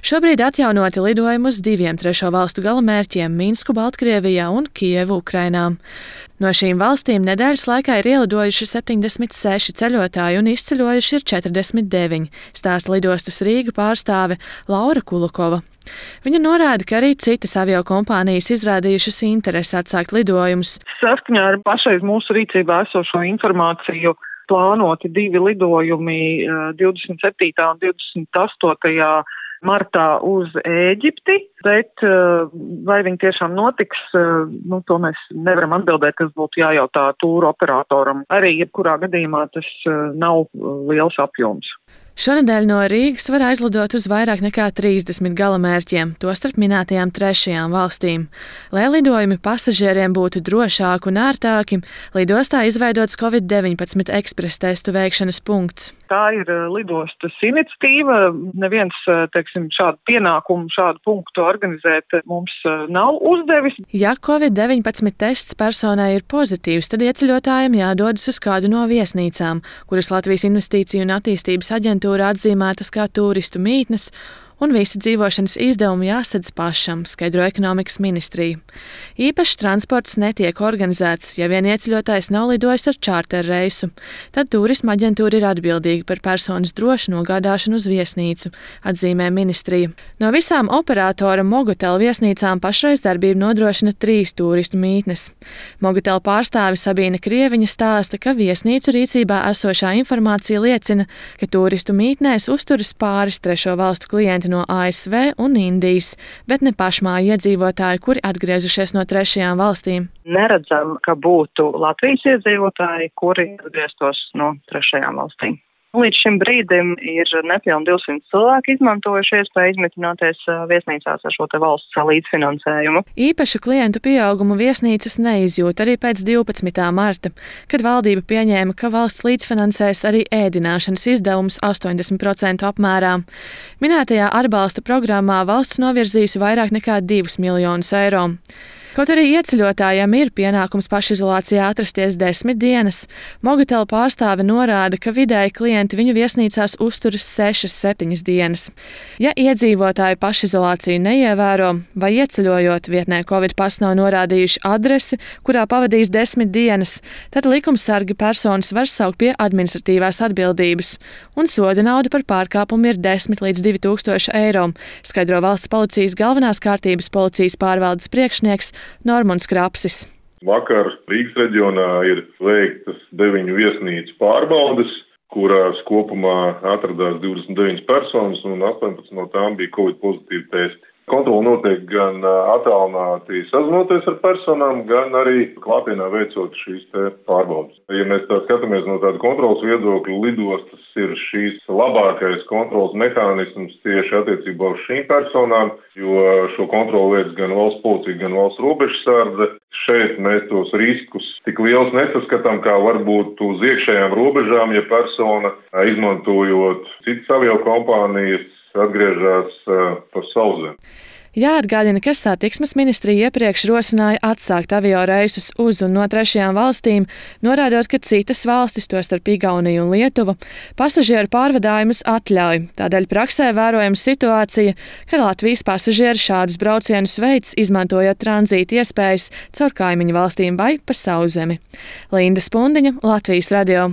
Šobrīd atjaunoti lidojumi uz 2 trešo valstu galamērķiem - Minsku, Baltkrievijā un Kijevu, Ukrainā. No šīm valstīm nedēļas laikā ir ielidojuši 76 ceļotāji un izceļojuši ir 49, stāsta lidostas Rīga pārstāve Laura Kulukova. Viņa norāda, ka arī citas aviokompānijas izrādījušas interesi atsākt lidojumus. Saskaņā ar pašreiz mūsu rīcībā esošo informāciju plānoti 2 lidojumi 27. un 28. martā uz Ēģipti, bet vai viņi tiešām notiks, to mēs nevaram atbildēt, kas būtu jājautā tūru operatoram. Arī jebkurā gadījumā tas nav liels apjoms. Šonedēļ no Rīgas var aizlidot uz vairāk nekā 30 galamērķiem, tostarp minētajām trešajām valstīm. Lai lidojumi pasažieriem būtu drošāki un ērtāki, lidostā izveidots Covid-19 ekspresa testu veikšanas punkts. Tā ir lidostas iniciatīva. Neviens, šādu pienākumu, šādu punktu organizēt mums nav uzdevis. Ja Covid-19 tests personai ir pozitīvs, tad ieceļotājiem jādodas uz kādu no viesnīcām, kuras Latvijas Investīciju un attīstības aģentūra atzīmētas kā turistu mītnes, un visi dzīvošanas izdevumi jāsadz pašam, skaidro ekonomikas ministrija. Īpašs transports netiek organizēts, ja vien ieceļotājs nav lidojis ar čārter reisu. Tad turisma aģentūra ir atbildīga par personas drošu nogādāšanu uz viesnīcu, atzīmē ministrija. No visām operatora Mogotel viesnīcām pašreiz darbību nodrošina 3 turistu mītnes. Mogotel pārstāve Sabīna Krieviņa stāsta, ka viesnīcu rīcībā esošā informācija liecina, ka turistu mītnēs uzturas pāris trešo valstu klienti no ASV un Indijas, bet ne pašmāju iedzīvotāji, kuri atgriezušies no trešajām valstīm. Neredzam, ka būtu Latvijas iedzīvotāji, kuri atgrieztos no trešajām valstīm. Līdz šim brīdim ir nepilni 200 cilvēki izmantojuši iespēju izmitināties viesnīcās ar šo te valsts līdzfinansējumu. Īpašu klientu pieaugumu viesnīcas neizjūt arī pēc 12. marta, kad valdība pieņēma, ka valsts līdzfinansēs arī ēdināšanas izdevumus 80% apmērā. Minētajā atbalsta programmā valsts novirzījusi vairāk nekā 2 miljonus eiro. Kaut arī ieceļotājiem ir pienākums pašizolācijā atrasties 10 dienas, Mogotel pārstāve norāda, ka vidēji klienti viņu viesnīcās uzturas 6–7 dienas. Ja iedzīvotāji pašizolāciju neievēro vai ieceļojot vietnē Covid pas nav norādījuši adresi, kurā pavadīs 10 dienas, tad likumsargi personas var saukt pie administratīvās atbildības, un soda nauda par pārkāpumu ir 10 līdz 2000 eiro, skaidro valsts policijas galvenās kārtības policijas pārvaldes priekšnieks Normons Krapsis. Vakar Rīgas reģionā ir veiktas 9 viesnīcu pārbaudes, kurās kopumā atradās 29 personas un 18 no tām bija Covid pozitīvi testi. Kontrola notiek gan attālināti sazinoties ar personām, gan arī klātienā veicot šīs te pārbaudes. Ja mēs tā skatāmies no tāda kontrolas viedokļa, lidostas ir šīs labākais kontrolas mehānisms tieši attiecībā uz šīm personām, jo šo kontroli veic gan valsts policija, gan valsts robežsardze. Šeit mēs tos riskus tik liels nesaskatām, kā varbūt uz iekšējām robežām, ja persona izmantojot citas aviokompānijas atgriežas pa sauszemi. Jāatgādina, ka satiksmes ministrija iepriekš rosināja atsākt avio reisus uz un no trešajām valstīm, norādot, ka citas valstis, tostarp Igaunija un Lietuva, pasažieru pārvadājumus atļauj. Tādēļ praksē vērojama situācija, ka Latvijas pasažieri šādus braucienus veids, izmantojot tranzīta iespējas caur kaimiņu valstīm vai pa sauszemi. Linda Spundiņa, Latvijas radio.